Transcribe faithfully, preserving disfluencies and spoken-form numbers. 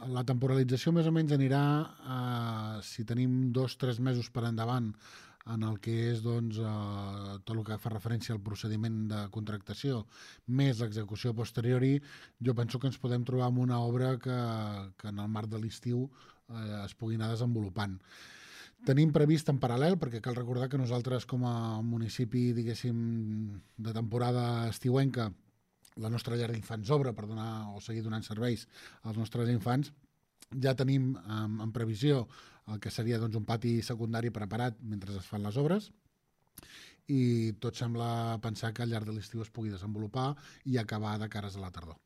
la temporalització més o menys anirà, eh, si tenim dos o tres mesos per endavant en el que és doncs, eh, tot el que fa referència al procediment de contractació més l'execució posteriori, jo penso que ens podem trobar amb una obra que, que en el marc de l'estiu eh, es pugui anar desenvolupant. Tenim previst en paral·lel, perquè cal recordar que nosaltres com a municipi, diguéssim, de temporada estiuenca, la nostra llar d'infants obre per donar o seguir donant serveis als nostres infants, ja tenim en, en previsió el que seria doncs, un pati secundari preparat mentre es fan les obres i tot sembla pensar que al llarg de l'estiu es pugui desenvolupar i acabar de cares a la tardor.